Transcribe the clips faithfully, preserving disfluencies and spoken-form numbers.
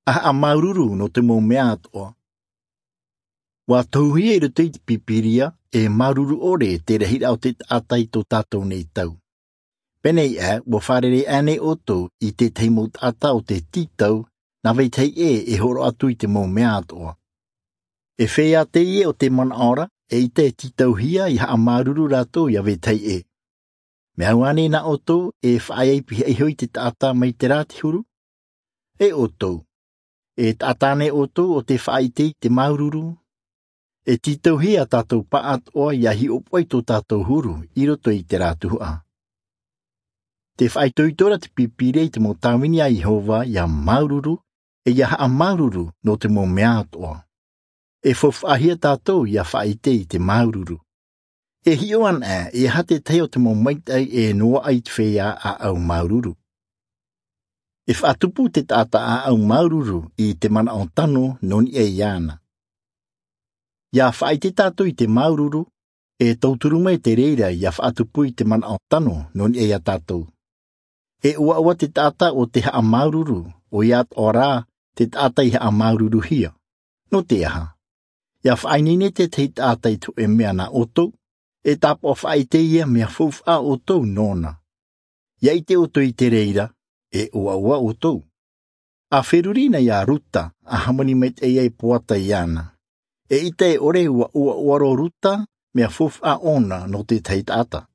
A haʻamāuruuru nō te mau mea atoʻa. Ua tohuhia i roto i te pīpīria, e māuruuru ʻore te rahiraʻa o te taʻata i tō tātou nei tau. Pēnei ā, ua fārerei ʻānei ʻoutou i tētahi mau taʻata o te tītau nā vetahi ʻē e hōroʻa atu i te mau mea atoʻa? E feiā teie o te manaʻo ra, eʻita e tītauhia ia haʻamāuruuru rātou ia vetahi ʻē. Mea au ānei nā ʻoutou e faʻaea i pihaʻi iho i te taʻata mai te rā te huru? E ʻoutou, e taʻata ānei ʻoutou o te faʻaʻite i te māuruuru? E tītauhia tātou pāʻatoʻa ia hiʻopoʻa i tō tātou huru i roto i te rā tuhaʻa. Te faʻaitoito ra te pīpīria i te mau tāvini a Iehova ia māuruuru, e ia haʻamāuruuru nō te mau mea atoʻa. E faufaʻahia tātou ia faʻaʻite i te māuruuru. E hiʻo anaʻe e aha tētahi o te mau maitaʻi e noaʻa i te feiā ʻāʻau māuruuru. E faʻatupu te taʻata ʻāʻau māuruuru i te manaʻo tano nō niʻa iāna. Ia faʻaʻite tātou i te māuruuru, e tauturu mai te reira ia faʻatupu i te manaʻo tano nō niʻa iā tātou. E ʻoaʻoa te taʻata o te haʻamāuruuru, ʻoia atoʻa rā te taʻata i haʻamāuruuruhia. Nō te aha? Ia faʻaineine tētahi taʻata i te hōʻē mea nā ʻoutou, e tāpaʻo faʻaʻite ia mea faufaʻa ʻoutou nōna. Ia ʻite ʻoutou i te reira, e ʻoaʻoa ʻoutou. A feruri na iā Ruta, a hāmani maitaʻi ai Poata iāna. Eʻita e ʻore ua ʻoaʻoa roa Ruta mea faufaʻa ʻōna nō tētahi taʻata.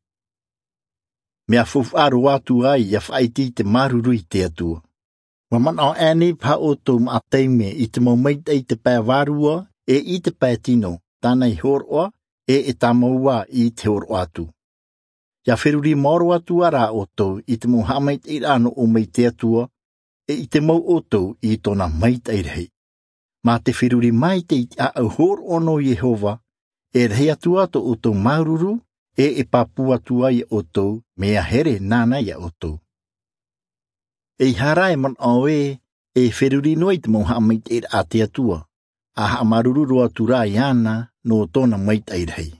Mea faufaʻa roa atu ai ia faʻaʻite i te māuruuru i te Atua. Ua manaʻo ānei paha ʻoutou maʻa taime i te mau maitaʻi i te pae vārua, e i te pae tino, tāna i hōroʻa, e e tāmau ā i te hōroʻa atu. Ia feruri maoro atu ā rā ʻoutou i te mau haʻamaitaʻiraʻa nō ʻō mai te Atua, e ʻite mau ʻoutou i tōna maitaʻi rahi. Mā te feruri maitaʻi i te ʻāʻau hōroʻa nō Iehova, e rahi atu ā tō ʻoutou māuruuru, e e pāpū atu ai iā ʻoutou mea here nāna iā ʻoutou. Eiaha rā e manaʻo ē, e feruri noa i te mau haʻamaitaʻiraʻa a te Atua, a haʻamāuruuru roa atu rā iāna nō tōna maitaʻi rahi.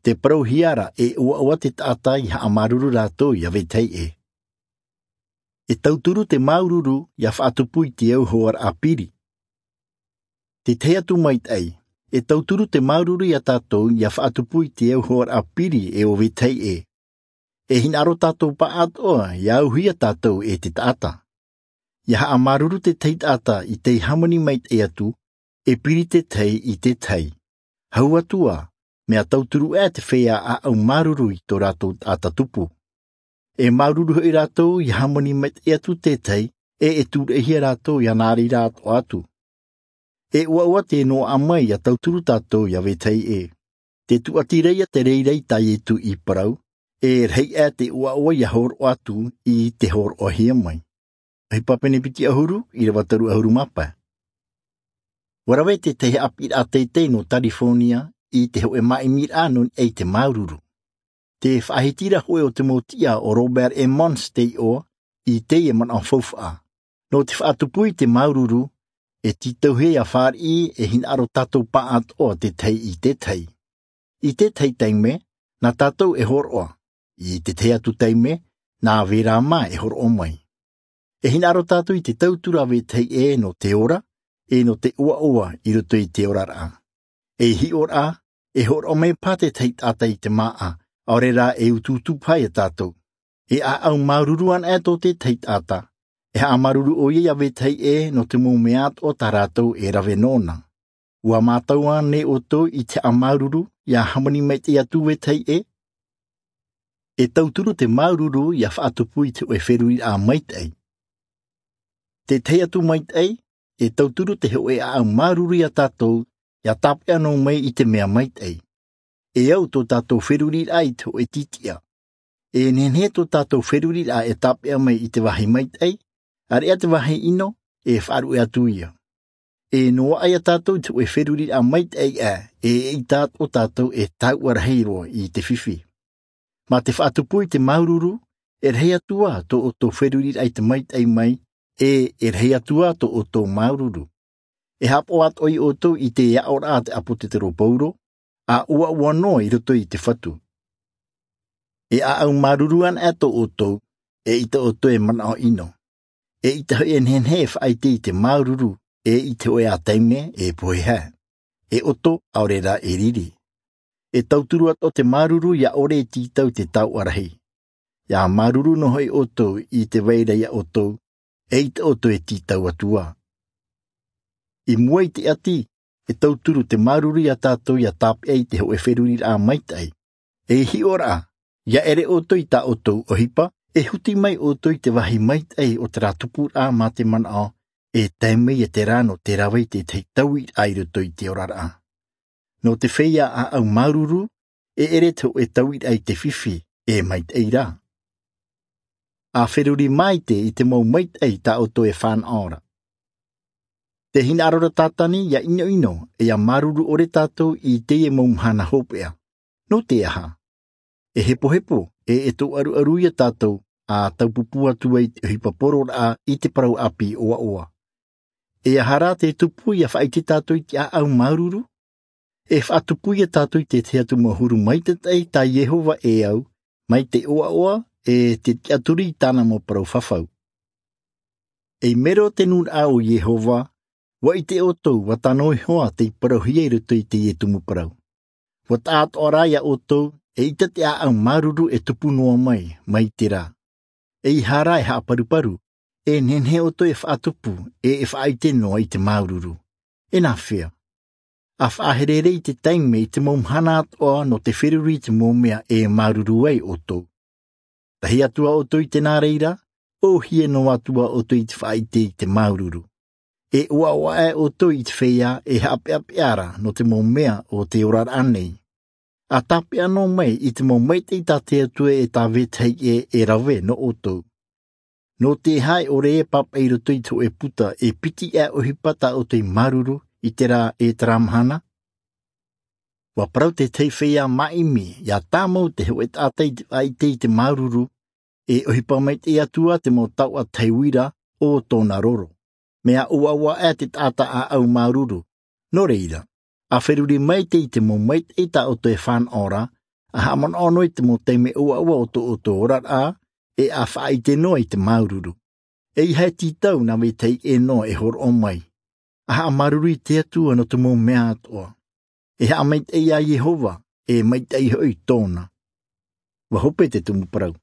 Te parauhia ra e ʻoaʻoa te taʻata i haʻamāuruuru rātou ia vetahi ʻē. E tauturu te māuruuru ia faʻatupu i te auhoaraʻa piri. Te tahi atu maitaʻi, e tauturu te māuruuru iā tātou ia faʻatupu i te auhoaraʻa piri e ʻo vetahi ʻē. E hinaʻaro tātou pāʻatoʻa ia auhia tātou e te taʻata. Ia haʻamāuruuru te tahi taʻata i te hāmani maitaʻi atu, e piri te tahi i te tahi. Hau atu ā, mea tauturu ʻē te feiā ʻāʻau māuruuru i tō rātou taʻata tupu. E māuruuru hoʻi rātou ia hāmani maitaʻi atu te tahi, e e tūraʻihia rātou ia nā reira atoʻa atu. E ʻoaʻoa te noaʻa mai ia tauturu tātou ia vetahi ʻē. Te tūʻati ra ia te reira i tā Ietu i parau, e rahi ʻē te ʻoaʻoa ia hōroʻa atu i te hōroʻahia mai. ʻOhipa pene piti ʻahuru, ʻīrava toru ʻahuru mā pae. Ua rave te tahi haʻapiʻiraʻa teitei nō Tarifōnia i te hōʻē māʻimiraʻa nō niʻa i te māuruuru. Te faʻahiti ra hōʻē o te mau tiʻa ʻo Robert Emmons tei ʻoa i teie manaʻo faufaʻa. Nō te faʻatupu i te māuruuru, e tītauhia ia fāriʻi e hinaʻaro tātou pāʻatoʻa te tahi i te tahi. I te tahi taime, nā tātou e hōroʻa. I te tahi atu taime, nā vērā mā e hōroʻa mai. E hinaʻaro tātou i te tauturu a vetahi ʻē nō te ora, e nō te ʻoaʻoa i roto i te oraraʻa. E hiʻoraʻa, e hōroʻa mai paha te tahi taʻata i te māʻa, ʻaore rā e utuutu paha ia tātou. E ʻāʻau māuruuru anaʻe tō te tahi taʻata. E haʻamāuruuru ʻoia ia vetahi ʻē nō te mau mea atoʻa tā rātou e rave nōna. Ua mātau ānei ʻoutou i te haʻamāuruuru ia hāmani maitaʻi atu vetahi ʻē? E tauturu te māuruuru ia faʻatupu i te hōʻē feruriraʻa maitaʻi. Te tahi atu maitaʻi, e tauturu te hōʻē ʻāʻau māuruuru ia tātou, ia tāpeʻa noa mai i te mea maitaʻi. E au tō tātou feruriraʻa i te hōʻē tītiʻa. E nehenehe tō tātou feruriraʻa e tāpeʻa mai i te vāhi maitaʻi, ʻāreʻa te vāhi ʻino, e faʻaruʻe atu ia. E noaʻa ia tātou i te hōʻē feruriraʻa maitaʻi ʻē, e eʻita atoʻa tātou e taua rahi roa i te fifi. Mā te faʻatupu i te māuruuru, e rahi atu ā tō ʻoutou feruriraʻa i te maitaʻi mai, e, e rahi atu ā tō ʻoutou māuruuru. E haʻapaʻo atoʻa ia ʻoutou i te aʻoraʻa a te ʻāpōsetolo Paulo, ʻa ʻoaʻoa noa i roto i te Fatu. E ʻāʻau māuruuru anaʻe tō ʻoutou, eʻita ʻoutou e manaʻo ʻino. E ʻaita hoʻi e nehenehe e faʻaʻite i te māuruuru, e i te hoʻe ā taime e pohe hā, e ʻoto ʻaore rā e riri. E tauturu atoʻa te māuruuru ia ʻore e tītau i te taoʻa rahi. Ia māuruuru noa hoʻi ʻoutou i te vai ra ia ʻoutou, e ʻaita ʻoutou e tītau atu ā. I mua i te ʻati, e tauturu te māuruuru ia tātou ia tāpeʻa i te hoʻe feruriraʻa maitaʻi. E hiʻoraʻa, ia ʻere ʻoutou i tā ʻoutou ʻohipa, e huti mai ʻoutou i te vāhi maitaʻi o terā tupuraʻa mā te manaʻo, e tae mai ia terā nō te rave i te tahi tauiraʻa i roto i te oraraʻa. Nō te feiā ʻāʻau māuruuru, e ʻere te hoʻe tauiraʻa i te fifi, e maitaʻi rā. A feruri maite i te mau maitaʻi tā ʻoutou e fānaʻo ra. Te hinaʻaro ra Tātani ia ʻinoʻino, e ia māuruuru ʻore tātou i teie mau mahana hopeʻa. Nō te aha? E hepohepo, e e tōʻaruʻaru ia tātou, a taupupū atu ai te ʻohipa pororaʻa i te parau ʻāpī ʻoaʻoa. E aha rā te tupu ia faʻaʻite tātou i te ʻāʻau māuruuru? E faʻatupu ia tātou i te tahi atu mau huru maitataʻi tā Iehova e au, mai te ʻoaʻoa, e te tiʻaturi i tāna mau parau fafau. Ei mero te nūnaʻa o Iehova, ʻua ʻite ʻoutou, ʻua tano iho ā tei parauhia i roto i teie tumu parau. ʻUa taʻatoʻa rā ia ʻoutou, e ʻaita te ʻāʻau māuruuru e tupu noa mai, mai terā. Eiaha rā e haʻaparuparu, e nehenehe ʻoutou e faʻatupu, e e faʻaʻite noa i te māuruuru. E nāfea? A faʻaherehere i te taime i te mau mahana atoʻa nō te feruri i te mau mea e māuruuru ai ʻoutou. Tahi atu ā ʻoutou i te nā reira, ʻōhie noa atu ā ʻoutou i te faʻaʻite i te māuruuru. E ʻoaʻoa aʻe ʻoutou i te feiā e haʻapeʻapeʻa ra nō te mau mea o te oraraʻa nei. A tāpeʻa noa mai i te mau maitaʻi tā te Atua e tā vetahi ʻē e rave nō ʻoutou. Nō te aha e ʻore e pāpaʻi i roto i te hoʻe puta e piti aʻe ʻohipa tā ʻoutou i māuruuru i terā e terā mahana? ʻUa parau te tahi feiā māʻimi, ia tāmau te hoʻe taʻata i te faʻaʻite i te māuruuru, e ʻohipa maitaʻi atu ā te mau taoʻa tahi uira o tōna roro. Mea ʻoaʻoa aʻe te taʻata ʻāʻau māuruuru. Nō reira, a feruri maite i te mau maitaʻi tā ʻoutou e fānaʻo ra, a haʻamanaʻo noa i te mau taime ʻoaʻoa o tō ʻoutou oraraʻa, e a faʻaʻite noa i te māuruuru. Eiaha e tītau nā vetahi ʻē noa e hōroʻa mai. A haʻamāuruuru i te Atua nō te mau mea atoʻa. E haʻamaitaʻi ia Iehova, e maitaʻi hoʻi tōna. ʻUa hope te tumu parau.